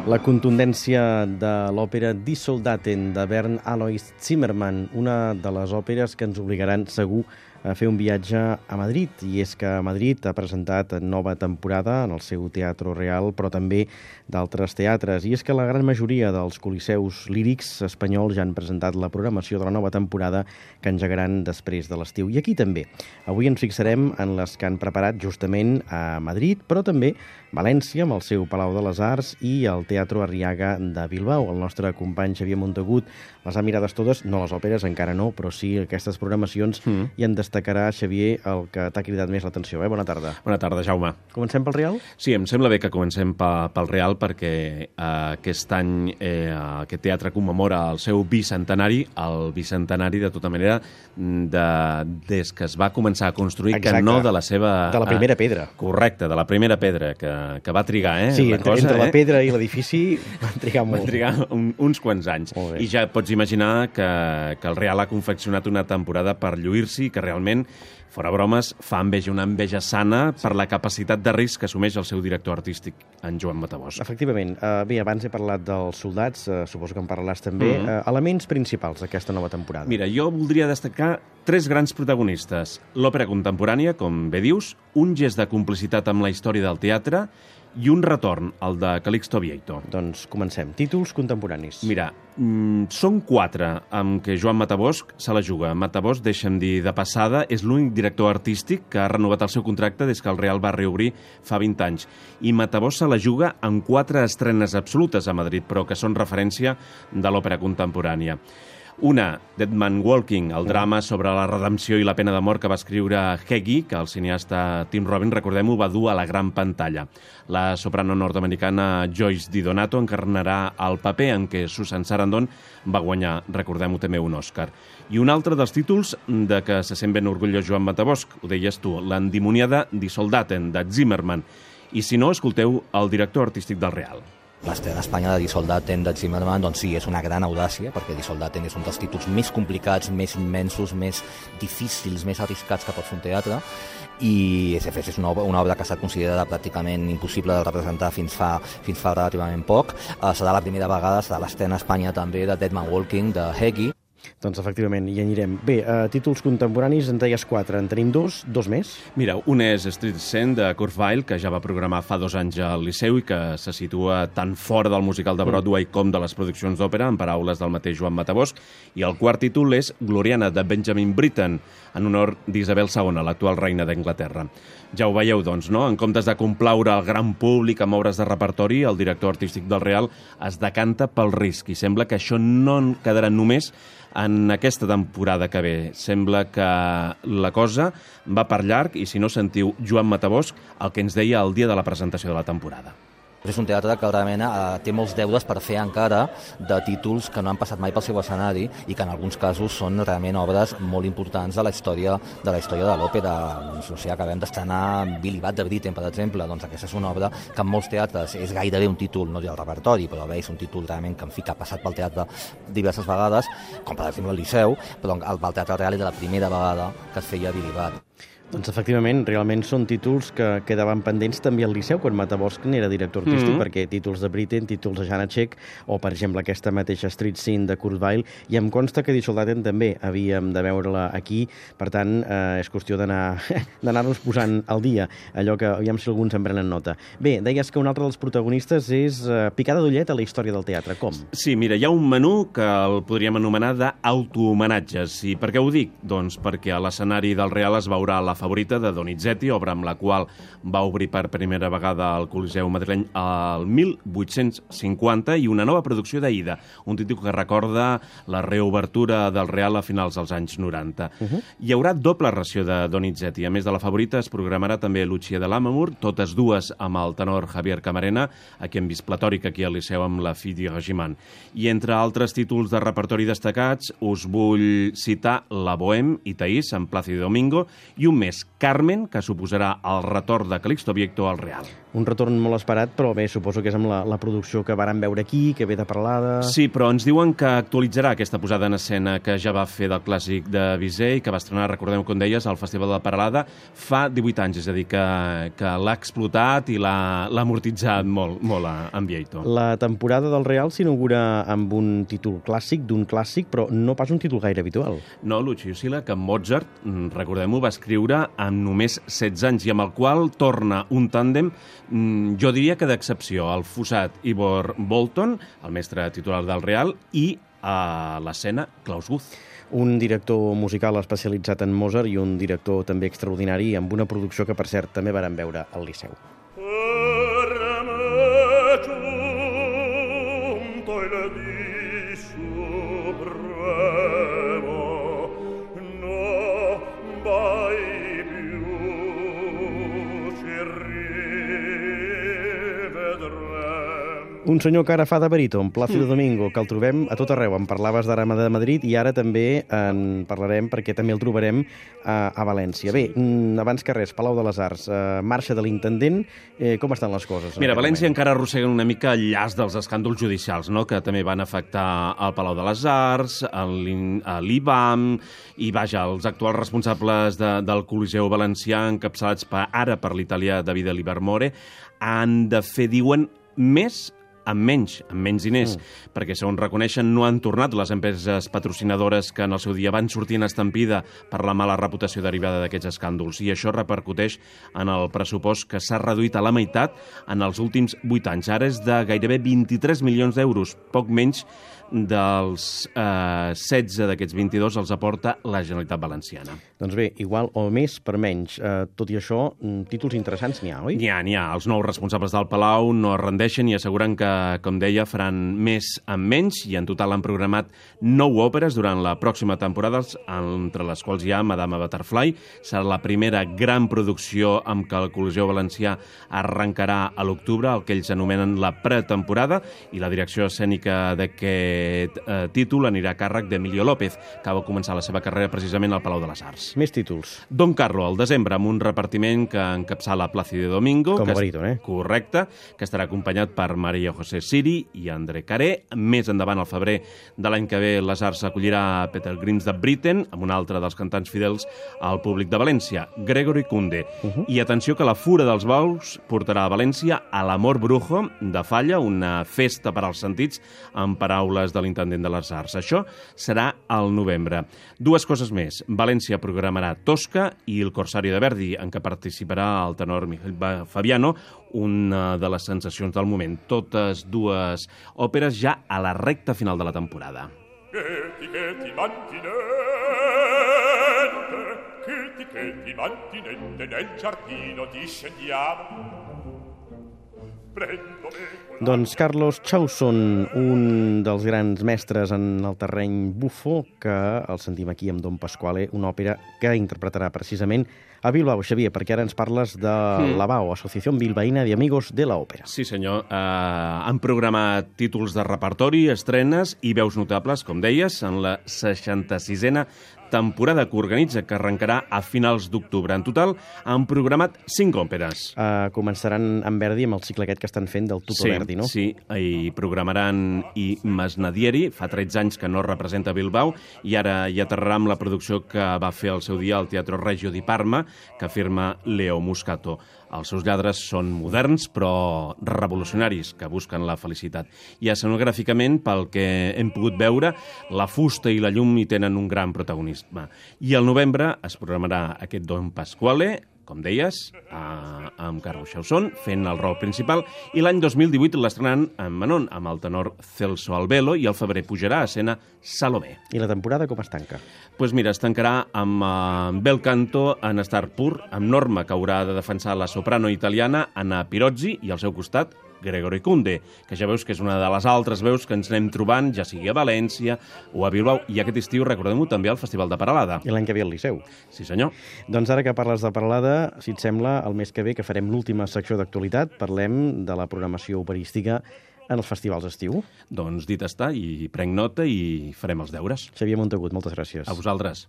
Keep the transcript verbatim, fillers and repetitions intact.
La contundència de l'òpera Die Soldaten de Bernd Alois Zimmermann, una de les òperes que ens obligaran segur a fer un viatge a Madrid. I és que Madrid ha presentat nova temporada en el seu Teatro Real, però també d'altres teatres. I és que la gran majoria dels coliseus lírics espanyols ja han presentat la programació de la nova temporada que engegaran després de l'estiu. I aquí també. Avui ens fixarem en les que han preparat justament a Madrid, però també València, amb el seu Palau de les Arts, i el Teatro Arriaga de Bilbao. El nostre company Xavier Montagut les ha mirades totes, no les òperes, encara no, però sí aquestes programacions, mm. i en destacarà, Xavier, el que t'ha cridat més l'atenció. Eh? Bona tarda. Bona tarda, Jaume. Comencem pel Real? Sí, em sembla bé que comencem pel Real perquè eh, aquest any eh, aquest teatre commemora el seu bicentenari, el bicentenari, de tota manera, de, des que es va començar a construir, Exacte. que no de la seva... De la primera pedra. Eh, correcte, de la primera pedra, que, que va trigar, eh? Sí, la entre, cosa, entre eh? la pedra i l'edifici van trigar molt. Van trigar un, uns quants anys. I ja pots imaginar que, que el Real ha confeccionat una temporada per lluir-s'hi, que realment, fora bromes, fa enveja, una enveja sana per la capacitat de risc que assumeix el seu director artístic, en Joan Matabosc. Efectivament. Uh, bé, abans he parlat dels soldats, uh, suposo que en parlaràs també. Mm -hmm. uh, elements principals d'aquesta nova temporada. Mira, jo voldria destacar tres grans protagonistes. L'òpera contemporània, com bé dius, un gest de complicitat amb la història del teatre i un retorn, el de Calixto Vieito. Doncs comencem. Títols contemporanis. Mira, mm, són quatre amb què Joan Matabosc se la juga. Matabosc, deixa'm dir de passada, és l'únic director artístic que ha renovat el seu contracte des que el Real va reobrir fa vint anys. I Matabosc se la juga en quatre estrenes absolutes a Madrid, però que són referència de l'òpera contemporània. Una, Dead Man Walking, el drama sobre la redempció i la pena de mort que va escriure Heggie, que el cineasta Tim Robbins, recordem-ho, va dur a la gran pantalla. La soprano nord-americana Joyce Di Donato encarnarà el paper en què Susan Sarandon va guanyar, recordem-ho també, un Òscar. I un altre dels títols de què se sent ben orgullós Joan Matabosc, ho deies tu, l'endimoniada Die Soldaten, de Zimmermann. I si no, escolteu el director artístic del Real. L'estrena a Espanya de Die Soldaten de Zimmermann, doncs sí, és una gran audàcia, perquè Die Soldaten és un dels títols més complicats, més immensos, més difícils, més arriscats que pot fer un teatre, i és una obra, una obra que ha estat considerada pràcticament impossible de representar fins fa, fins fa relativament poc. Uh, serà la primera vegada, serà l'estrena a Espanya també de Dead Man Walking, de Heggie. Doncs efectivament, hi anirem. Bé, uh, títols contemporanis, en deies quatre, en tenim dos, dos més? Mira, un és Street Scene, de Kurt Weill, que ja va programar fa dos anys al Liceu i que se situa tant fora del musical de Broadway mm. com de les produccions d'òpera, en paraules del mateix Joan Matabosc. I el quart títol és Gloriana, de Benjamin Britten, en honor d'Isabel segona, l'actual reina d'Anglaterra. Ja ho veieu, doncs, no? En comptes de complaure el gran públic amb obres de repertori, el director artístic del Real es decanta pel risc i sembla que això no quedarà només en aquesta temporada que ve. Sembla que la cosa va per llarg i, si no, sentiu Joan Matabosc el que ens deia el dia de la presentació de la temporada. És un teatre que realment eh, té molts deures per fer encara de títols que no han passat mai pel seu escenari i que en alguns casos són realment obres molt importants de la història de la història de l'òpera. Doncs, o sigui, acabem d'estrenar Billy Budd de Britten, per exemple. Doncs aquesta és una obra que en molts teatres és gairebé un títol, no del repertori, però bé, és un títol realment que, en fi, que ha passat pel teatre diverses vegades, com per exemple el Liceu, però el, el Teatre Real era la primera vegada que es feia Billy Budd. Doncs efectivament, realment són títols que quedaven pendents també al Liceu, quan Matabosc n'era director artístic, mm -hmm. perquè títols de Britten, títols de Janacek, o per exemple aquesta mateixa Street Scene de Kurt Weill, i em consta que Die Soldaten també havíem de veure-la aquí, per tant, eh, és qüestió d'anar d'anar-nos posant al dia, allò que, aviam si alguns en prenen nota. Bé, deies que un altre dels protagonistes és eh, picada d'ullet a la història del teatre. Com? Sí, mira, hi ha un menú que el podríem anomenar d'autohomenatges. I per què ho dic? Doncs perquè a l'escenari del Real es veurà la favorita de Donizetti, obra amb la qual va obrir per primera vegada al Coliseu madrileny al mil vuit-cents cinquanta, i una nova producció d'Aida, un títol que recorda la reobertura del Real a finals dels anys noranta. Uh -huh. Hi haurà doble ració de Donizetti. A més de la favorita, es programarà també Lucia de Lammermoor, totes dues amb el tenor Javier Camarena, aquí hem vist platòric aquí al Liceu amb la Fille Regiment. I entre altres títols de repertori destacats, us vull citar La Bohème i Taís, en Plácido Domingo, i un més, Carmen, que suposarà el retorn de Calixto Vieito al Real. Un retorn molt esperat, però bé, suposo que és amb la, la producció que vàrem veure aquí, que ve de Peralada... Sí, però ens diuen que actualitzarà aquesta posada en escena que ja va fer del clàssic de Bizet i que va estrenar, recordem com deies, al Festival de Peralada fa divuit anys, és a dir, que, que l'ha explotat i l'ha amortitzat molt, molt en Vieito. La temporada del Real s'inaugura amb un títol clàssic, d'un clàssic, però no pas un títol gaire habitual. No, Lucio Sila, que Mozart, recordem-ho, va escriure amb només setze anys i amb el qual torna un tàndem, jo diria que d'excepció, el Fussat Ivor Bolton, el mestre titular del Real, i a l'escena Klaus Guth. Un director musical especialitzat en Mozart i un director també extraordinari amb una producció que, per cert, també vàrem veure al Liceu. Un senyor que ara fa de baríton, Plácido Domingo, que el trobem a tot arreu. En parlaves d'ara de Madrid i ara també en parlarem perquè també el trobarem a, a València. Bé, abans que res, Palau de les Arts, eh, marxa de l'intendent, eh, com estan les coses? Mira, València encara arrosseguen una mica el llaç dels escàndols judicials, no?, que també van afectar el Palau de les Arts, l'I B A M, i vaja, els actuals responsables de, del Coliseu Valencià, encapçalats per, ara per l'italià Davide Livermore, han de fer, diuen, més amb menys, amb menys diners, mm. perquè, segons reconeixen, no han tornat les empreses patrocinadores que en el seu dia van sortir en estampida per la mala reputació derivada d'aquests escàndols. I això repercuteix en el pressupost, que s'ha reduït a la meitat en els últims vuit anys. Ara és de gairebé vint-i-tres milions d'euros, poc menys dels eh, setze d'aquests vint-i-dos els aporta la Generalitat Valenciana. Doncs bé, igual o més per menys. Eh, tot i això, títols interessants n'hi ha, oi? N'hi ha, n'hi ha. Els nous responsables del Palau no es rendeixen i asseguren que, com deia, faran més amb menys, i en total han programat nou òperes durant la pròxima temporada, entre les quals hi ha Madame Butterfly. Serà la primera gran producció amb què el Coliseu Valencià arrencarà a l'octubre, el que ells anomenen la pretemporada, i la direcció escènica d'aquest Aquest eh, títol anirà a càrrec d'Emilio López, que va començar la seva carrera precisament al Palau de les Arts. Més títols. Don Carlo, al desembre, amb un repartiment que encapçala Plácido Domingo. Com a baríton, eh? Correcte, que estarà acompanyat per Maria José Siri i André Caré. Més endavant, al febrer de l'any que ve, les Arts acollirà Peter Grims de Britten, amb un altre dels cantants fidels al públic de València, Gregory Kunde. Uh -huh. I atenció, que la Fura dels Bous portarà a València a l'Amor Brujo de Falla, una festa per als sentits, amb paraules de l'intendent de les Arts. Això serà al novembre. Dues coses més. València programarà Tosca i el Corsario de Verdi, en què participarà el tenor Miguel Fabiano, una de les sensacions del moment. Totes dues òperes ja a la recta final de la temporada. Che ti mantinente, che ti mantinente nel giardino discendiamo. Doncs Carlos Chausson, un dels grans mestres en el terreny bufo, que el sentim aquí amb Don Pasquale, una òpera que interpretarà precisament a Bilbao. Xavier, perquè ara ens parles de mm. la B A O, Associació Bilbaína de Amigos de la Òpera. Sí, senyor. Uh, han programat títols de repertori, estrenes i veus notables, com deies, en la seixanta-sisena temporada que organitza, que arrencarà a finals d'octubre. En total han programat cinc òperes. Uh, començaran amb Verdi, amb el cicle aquest que estan fent del Tutto sí, Verdi, no? Sí, i programaran i Masnadieri, fa tretze anys que no representa Bilbao, i ara hi aterrarà amb la producció que va fer al seu dia al Teatro Regio di Parma, que firma Leo Muscato. Els seus lladres són moderns, però revolucionaris, que busquen la felicitat. I escenogràficament, pel que hem pogut veure, la fusta i la llum hi tenen un gran protagonisme. I al novembre es programarà aquest Don Pasquale, com deies, a, amb Carlos Chausson, fent el rol principal, i l'any dos mil divuit l'estrenaran en Manon, amb el tenor Celso Albelo, i al febrer pujarà a escena Salomé. I la temporada com es tanca? Doncs pues mira, es tancarà amb uh, Bel Canto en Star Pur, amb Norma, que haurà de defensar la soprano italiana Anna Pirozzi, i al seu costat Gregory Kunde, que ja veus que és una de les altres veus que ens anem trobant, ja sigui a València o a Bilbao, i aquest estiu, recordem-ho, també al Festival de Peralada. I l'any que ve al Liceu. Sí, senyor. Doncs ara que parles de Peralada, si et sembla, el mes que ve, que farem l'última secció d'actualitat, parlem de la programació operística en els festivals d'estiu. Doncs dit està, i prenc nota i farem els deures. Xavier Montagut, moltes gràcies. A vosaltres.